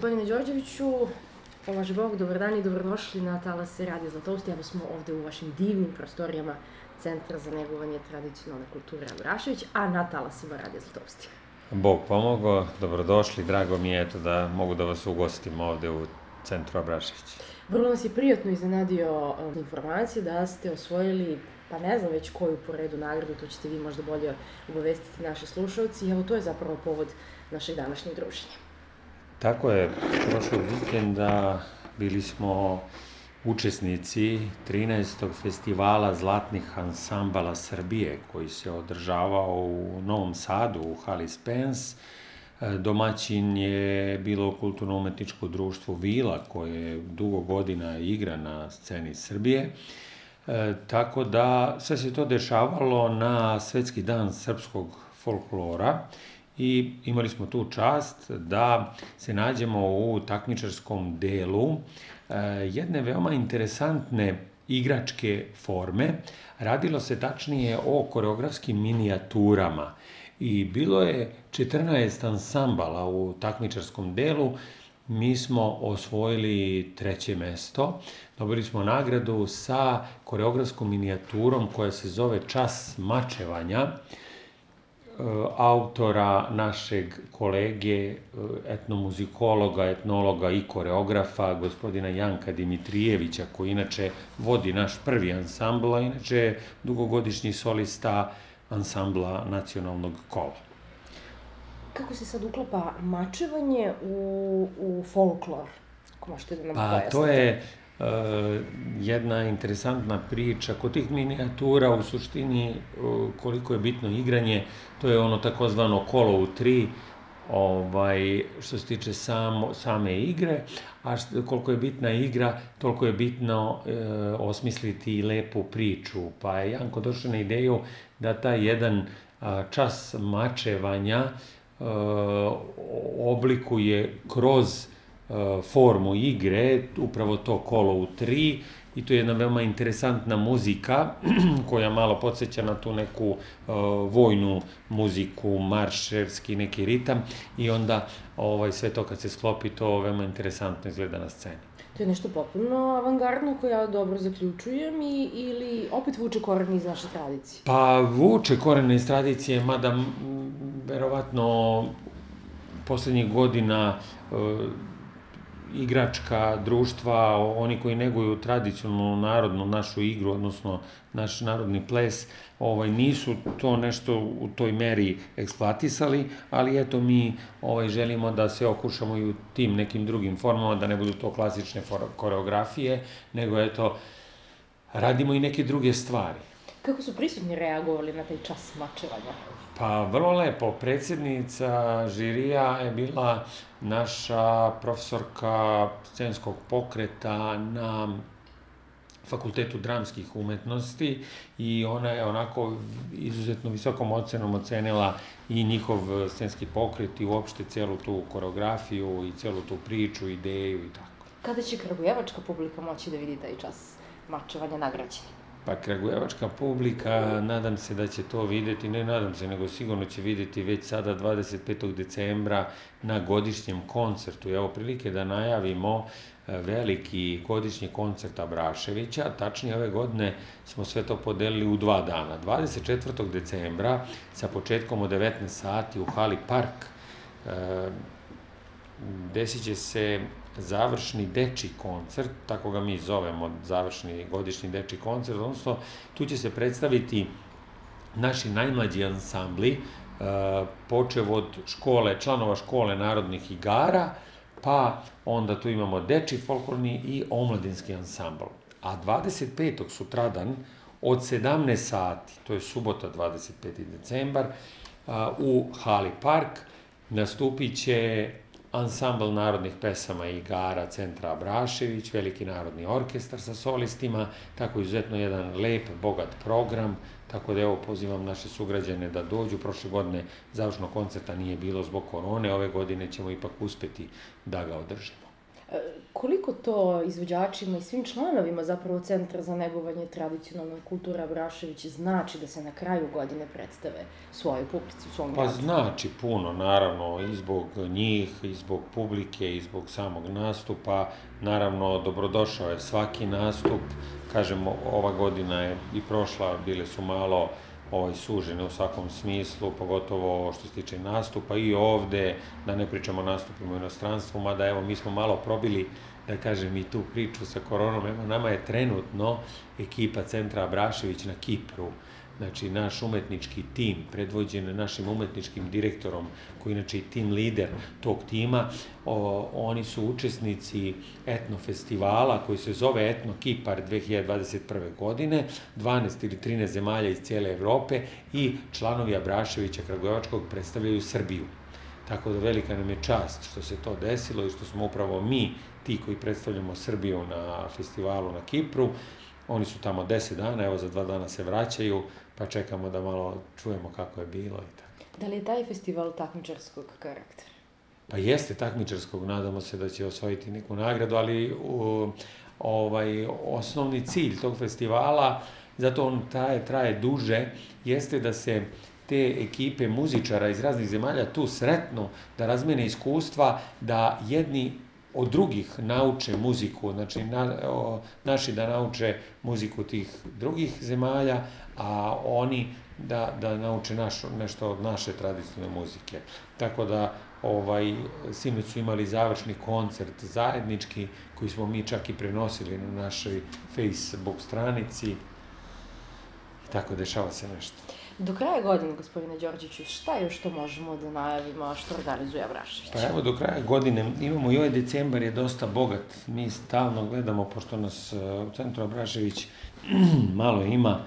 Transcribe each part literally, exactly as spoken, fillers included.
Gospodine Đorđeviću, pomaže Bog, dobar dan i dobrodošli na Talase Radio Zlatousti. Evo smo ovde u vašim divnim prostorijama Centra za negovanje tradicionalne kulture Abrašević, a na Talasima Radio Zlatousti. Bog pomogao, dobrodošli, drago mi je eto da mogu da vas ugostim ovde u Centru Abrašević. Vrlo nas je prijatno iznenadio informacije da ste osvojili, pa ne znam već koju po redu nagradu, to ćete vi možda bolje obavestiti naše slušalci, i evo to je zapravo povod našeg današnjeg druženja. Tako je, prošlog vikenda bili smo učesnici trinaestog festivala zlatnih ansambala Srbije koji se održavao u Novom Sadu u hali Spens. Domaćin je bilo kulturno-umetničko društvo Vila koje dugo godina igra na sceni Srbije. E, tako da sve se to dešavalo na Svetski dan srpskog folklora i imali smo tu čast da se nađemo u takmičarskom delu e, jedne veoma interesantne igračke forme. Radilo se tačnije o koreografskim minijaturama i bilo je četrnaest ansambala u takmičarskom delu. Mi smo osvojili treće mesto, dobili smo nagradu sa koreografskom minijaturom koja se zove Čas mačevanja, autora našeg kolege, etnomuzikologa, etnologa i koreografa, gospodina Janka Dimitrijevića, koji inače vodi naš prvi ansambl, a inače je dugogodišnji solista ansambla Nacionalnog kola. Kako se sad uklapa mačevanje u, u folklor? Ako možete da nam pojasnite. Pa to je uh, jedna interesantna priča. Kod tih minijatura u suštini uh, koliko je bitno igranje, to je ono takozvano kolo u tri, ovaj, što se tiče samo, same igre, a što, koliko je bitna igra, toliko je bitno e, osmisliti lepu priču. Pa je Janko došao na ideju da taj jedan a, čas mačevanja e, oblikuje kroz e, formu igre, upravo to kolo u tri, i to je jedna veoma interesantna muzika koja malo podsjeća na tu neku uh, vojnu muziku, marševski neki ritam, i onda ovaj, sve to kad se sklopi, to veoma interesantno izgleda na sceni. To je nešto potpuno avangardno koje ja dobro zaključujem i, ili opet vuče korene iz naše tradicije? Pa vuče korene iz tradicije, mada m, verovatno poslednjih godina uh, igračka društva, oni koji neguju tradicionalnu narodnu našu igru, odnosno naš narodni ples, ovaj, nisu to nešto u toj meri eksploatisali, ali eto mi ovaj, želimo da se okušamo i u tim nekim drugim formama, da ne budu to klasične koreografije, nego eto, radimo i neke druge stvari. Kako su prisutni reagovali na taj čas mačevanja? Pa vrlo lepo. Predsjednica žirija je bila naša profesorka scenskog pokreta na Fakultetu dramskih umetnosti i ona je onako izuzetno visokom ocenom ocenila i njihov scenski pokret i uopšte celu tu koreografiju i celu tu priču, ideju i tako. Kada će kragujevačka publika moći da vidi taj čas mačevanja nagrađeni? Pa kragujevačka publika, nadam se da će to videti, ne nadam se, nego sigurno će videti već sada dvadeset petog decembra na godišnjem koncertu. Evo prilike da najavimo veliki godišnji koncert Abraševića, tačnije ove godine smo sve to podelili u dva dana. dvadeset četvrtog decembra sa početkom od devetnaest sati u hali Park desit će se završni dečiji koncert, tako ga mi zovemo, završni godišnji dečiji koncert, odnosno tu će se predstaviti naši najmlađi ansambli, počev od škole, članova škole narodnih igara, pa onda tu imamo dečiji folklorni i omladinski ansambl. A dvadeset petog sutradan od sedamnaest sati, to je subota dvadeset peti decembar, u hali Park nastupit će ansambl narodnih pesama i igara Centra Abrašević, veliki narodni orkestar sa solistima, tako izuzetno jedan lep, bogat program, tako da evo pozivam naše sugrađane da dođu. Prošle godine završnog koncerta nije bilo zbog korone, ove godine ćemo ipak uspeti da ga održimo. Koliko to izvođačima i svim članovima zapravo Centra za negovanje tradicionalne kulture Abrašević znači da se na kraju godine predstave svojoj publici u svom gradu? Pa znači puno, naravno, i zbog njih, i zbog publike, i zbog samog nastupa. Naravno, dobrodošao je svaki nastup. Kažemo, ova godina je i prošla, bile su malo ovaj, sužene u svakom smislu, pogotovo što se tiče nastupa i ovde, da ne pričamo o nastupima u inostranstvu, mada evo mi smo malo probili, da kažem, i tu priču sa koronom. Evo, nama je trenutno ekipa Centra Abrašević na Kipru, znači naš umetnički tim, predvođen našim umetničkim direktorom, koji inače i tim lider tog tima, o, oni su učesnici etno festivala koji se zove Etno Kipar dve hiljade dvadeset prve. godine, dvanaest ili trinaest zemalja iz cijele Evrope i članovi Abraševića Kragujevačkog predstavljaju Srbiju. Tako da velika nam je čast što se to desilo i što smo upravo mi ti koji predstavljamo Srbiju na festivalu na Kipru. Oni su tamo deset dana, evo za dva dana se vraćaju, pa čekamo da malo čujemo kako je bilo i tako. Da li je taj festival takmičarskog karaktera? Pa jeste takmičarskog, nadamo se da će osvojiti neku nagradu, ali u, ovaj, osnovni cilj tog festivala, zato on traje, traje duže, jeste da se te ekipe muzičara iz raznih zemalja tu sretnu, da razmene iskustva, da jedni od drugih nauče muziku, znači na, o, naši da nauče muziku tih drugih zemalja, a oni da, da nauče našu, nešto od naše tradicionalne muzike. Tako da ovaj, sinoć su imali završni koncert zajednički, koji smo mi čak i prenosili na našoj Facebook stranici. Tako dešava se nešto. Do kraja godine, gospodine Đorđeviću, šta još to možemo da najavimo, što organizuje Abrašević? Pa evo, do kraja godine imamo i ovaj decembar je dosta bogat. Mi stalno gledamo, pošto nas u Centru Abrašević malo ima,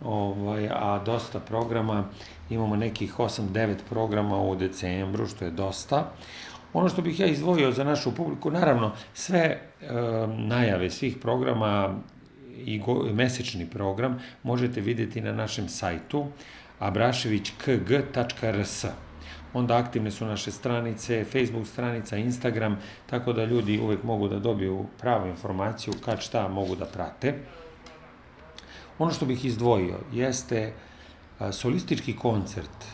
ovaj, a dosta programa. Imamo nekih osam devet programa u decembru, što je dosta. Ono što bih ja izdvojio za našu publiku, naravno, sve e, najave svih programa i go, mesečni program možete vidjeti na našem sajtu abrašević k g tačka r s. Onda aktivne su naše stranice, Facebook stranica, Instagram, tako da ljudi uvek mogu da dobiju pravu informaciju kad šta mogu da prate. Ono što bih izdvojio jeste solistički koncert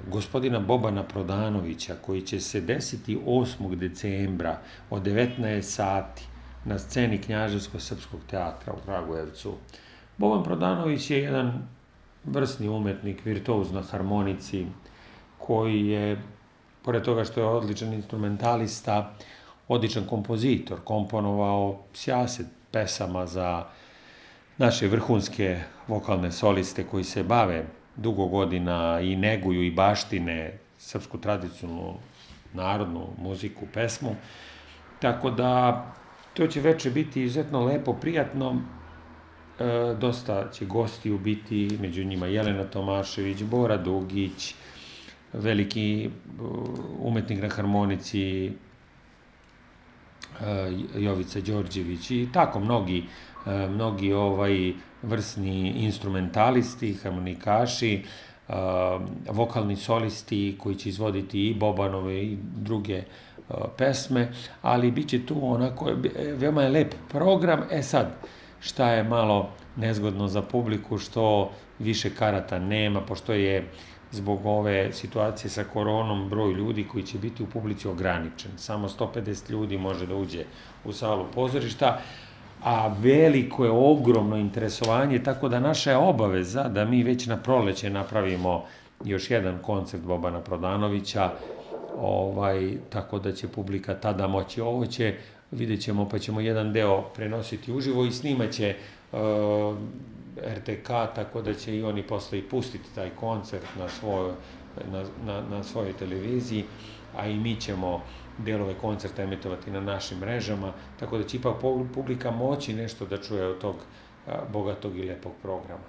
gospodina Bobana Prodanovića, koji će se desiti osmog decembra od devetnaest sati na sceni Knjaževsko-srpskog teatra u Kragujevcu. Boban Prodanović je jedan vrsni umetnik, virtuoz na harmonici, koji je, pored toga što je odličan instrumentalista, odličan kompozitor, komponovao sjaset pesama za naše vrhunske vokalne soliste koji se bave dugo godina i neguju i baštine srpsku tradicionalnu narodnu muziku, pesmu. Tako da to će veče biti izuzetno lepo, prijatno. E, dosta će gostiju biti, među njima Jelena Tomašević, Bora Dugić, veliki umetnik na harmonici e, Jovica Đorđević i tako mnogi, e, mnogi ovaj vrsni instrumentalisti, harmonikaši, e, vokalni solisti koji će izvoditi i Bobanove i druge pesme, ali bit će tu onako, veoma je lep program. E sad, šta je malo nezgodno za publiku, što više karata nema, pošto je zbog ove situacije sa koronom broj ljudi koji će biti u publici ograničen. Samo sto pedeset ljudi može da uđe u salu pozorišta, a veliko je, ogromno interesovanje, tako da naša je obaveza da mi već na proleće napravimo još jedan koncert Bobana Prodanovića, ovaj, tako da će publika tada moći. Ovo će, vidjet ćemo, pa ćemo jedan deo prenositi uživo i snimaće uh, er te ka, tako da će i oni posle i pustiti taj koncert na, svoj, na, na, na svojoj televiziji, a i mi ćemo delove koncerta emitovati na našim mrežama, tako da će ipak publika moći nešto da čuje od tog uh, bogatog i lepog programa.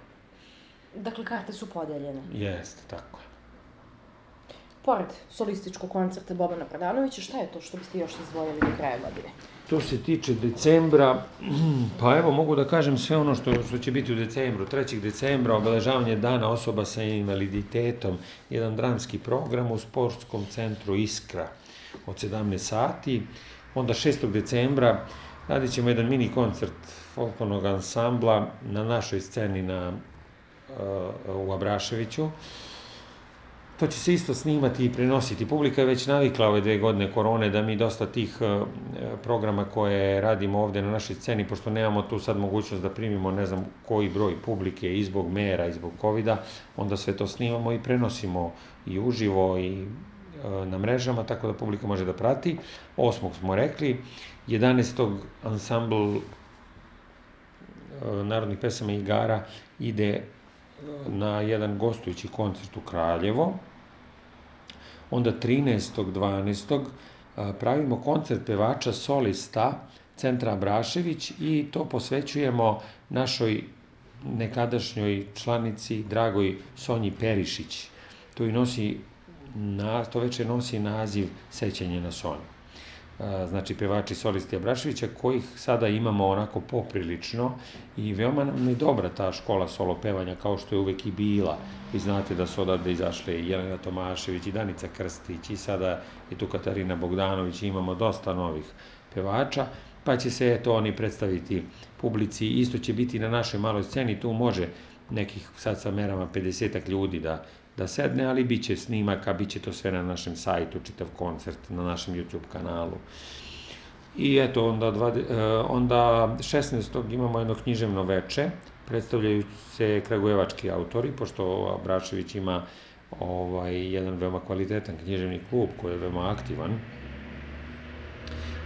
Dakle, karte su podeljene. Jeste, tako je. Pored solističkog koncerta Bobana Prodanovića, šta je to što biste još izdvojili do kraja godine? To se tiče decembra, pa evo mogu da kažem sve ono što, što će biti u decembru. trećeg decembra obeležavanje dana osoba sa invaliditetom, jedan dramski program u sportskom centru Iskra od sedamnaest sati. Onda šestog decembra radit ćemo jedan mini koncert folklornog ansambla na našoj sceni na, u Abraševiću. To će se isto snimati i prenositi. Publika je već navikla ove dve godine korone da mi dosta tih programa koje radimo ovde na našoj sceni, pošto nemamo tu sad mogućnost da primimo ne znam koji broj publike i zbog mera i zbog kovida, onda sve to snimamo i prenosimo i uživo i na mrežama, tako da publika može da prati. Osmog smo rekli, jedanaestog ansambl narodnih pesama i igara ide na jedan gostujući koncert u Kraljevo. Onda trinaestog dvanaestog pravimo koncert pevača solista Centra Abrašević i to posvećujemo našoj nekadašnjoj članici, dragoj Sonji Perišić. To, i nosi, to večer nosi naziv Sećanje na Sonju. Znači, pevači solisti Abraševića, kojih sada imamo onako poprilično i veoma nam je dobra ta škola solo pevanja, kao što je uvek i bila. Vi znate da su odavde izašle i Jelena Tomašević i Danica Krstić i sada je tu Katarina Bogdanović i imamo dosta novih pevača, pa će se eto oni predstaviti publici. Isto će biti na našoj maloj sceni, tu može nekih sad sa merama pedesetak ljudi da da sedne, ali bit će snimaka, bit će to sve na našem sajtu, čitav koncert na našem YouTube kanalu. I eto, onda, onda šesnaestog imamo jedno književno veče, predstavljaju se kragujevački autori, pošto Abrašević ima ovaj, jedan veoma kvalitetan književni klub koji je veoma aktivan.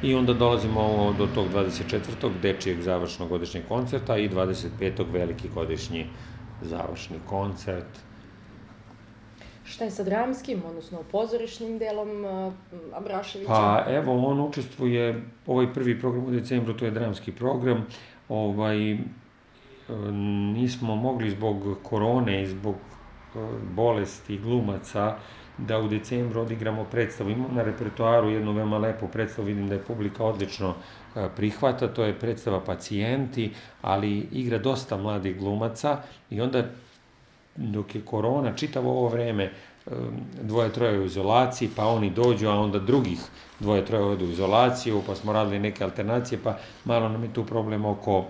I onda dolazimo do tog dvadeset četvrtog dečijeg završnog godišnjeg koncerta i dvadeset petog veliki godišnji završni koncert. Šta je sa dramskim, odnosno pozorišnim delom Abraševića? Pa evo, on učestvuje, ovaj prvi program u decembru, to je dramski program, ovaj, nismo mogli zbog korone i zbog bolesti glumaca da u decembru odigramo predstavu. Imamo na repertoaru jednu veoma lepu predstavu, vidim da je publika odlično prihvata, to je predstava Pacijenti, ali igra dosta mladih glumaca i onda dok je korona, čitavo ovo vreme, dvoje, troje u izolaciji, pa oni dođu, a onda drugih dvoje, troje odu u izolaciju, pa smo radili neke alternacije, pa malo nam je tu problem oko,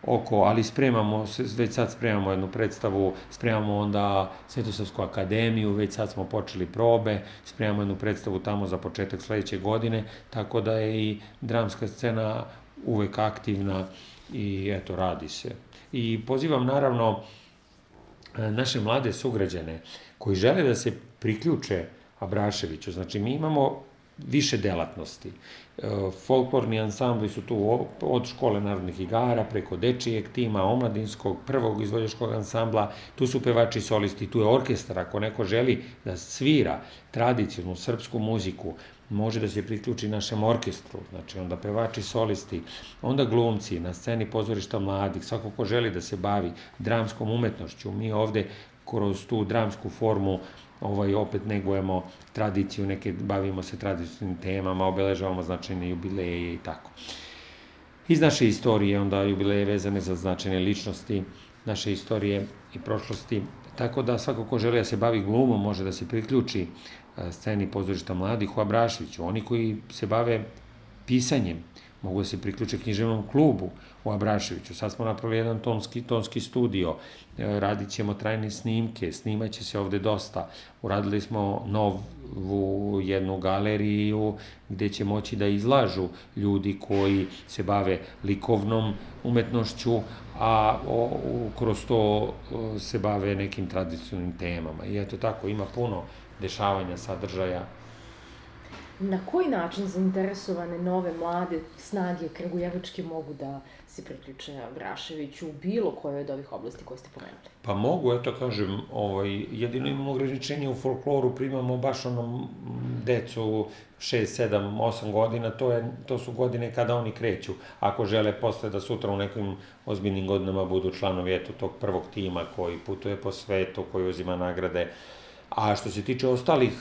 oko ali spremamo, već sad spremamo jednu predstavu, spremamo onda Svetosavsku akademiju, već sad smo počeli probe, spremamo jednu predstavu tamo za početak sledeće godine, tako da je i dramska scena uvek aktivna i eto, radi se. I pozivam naravno naše mlade sugrađane koji žele da se priključe Abraševiću. Znači, mi imamo više delatnosti. Folklorni ansambli su tu od škole narodnih igara, preko dečijeg tima, omladinskog, prvog izvođačkog ansambla, tu su pevači solisti, tu je orkestar. Ako neko želi da svira tradicionalnu srpsku muziku, može da se priključi našem orkestru, znači onda pevači solisti, onda glumci na sceni pozorišta mladih, svako ko želi da se bavi dramskom umetnošću. Mi ovde kroz tu dramsku formu ovaj, opet negujemo tradiciju, neke bavimo se tradicionalnim temama, obeležavamo značajne jubileje i tako. Iz naše istorije onda jubileje vezane za značajne ličnosti, naše istorije i prošlosti, tako da svako ko želi da se bavi glumom može da se priključi sceni pozorišta mladih u Abraševiću. Oni koji se bave pisanjem mogu da se priključe književnom klubu u Abraševiću. Sad smo napravili jedan tonski, tonski studio, radit ćemo trajne snimke, snimat će se ovde dosta. Uradili smo novu jednu galeriju gde će moći da izlažu ljudi koji se bave likovnom umetnošću, a kroz to se bave nekim tradicionalnim temama. I eto tako, ima puno dešavanja, sadržaja. Na koji način zainteresovane nove, mlade snage kragujevačke mogu da se priključe Abraševiću u bilo kojoj od ovih oblasti koje ste pomenuli? Pa mogu, eto kažem, jedino imamo ograničenje u folkloru, primamo baš onom decu šest, sedam, osam godina, to su godine kada oni kreću. Ako žele posle da sutra u nekim ozbiljnim godinama budu članovi eto tog prvog tima koji putuje po svetu, koji uzima nagrade. A što se tiče ostalih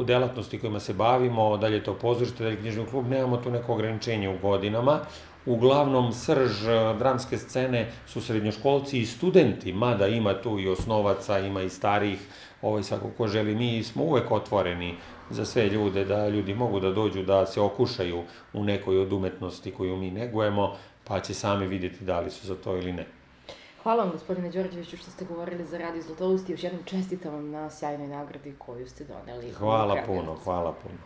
delatnosti kojima se bavimo, da li je to pozorište, da li je književni klub, nemamo tu neko ograničenje u godinama. Uglavnom, srž dramske scene su srednjoškolci i studenti, mada ima tu i osnovaca, ima i starijih ovaj, svako ko želi, mi smo uvek otvoreni za sve ljude, da ljudi mogu da dođu, da se okušaju u nekoj od umetnosti koju mi negujemo, pa će sami vidjeti da li su za to ili ne. Hvala vam, gospodine Đorđeviću, što ste govorili za Radio Zlatoust i još jednom čestitam vam na sjajnoj nagradi koju ste doneli. Hvala puno, hvala puno.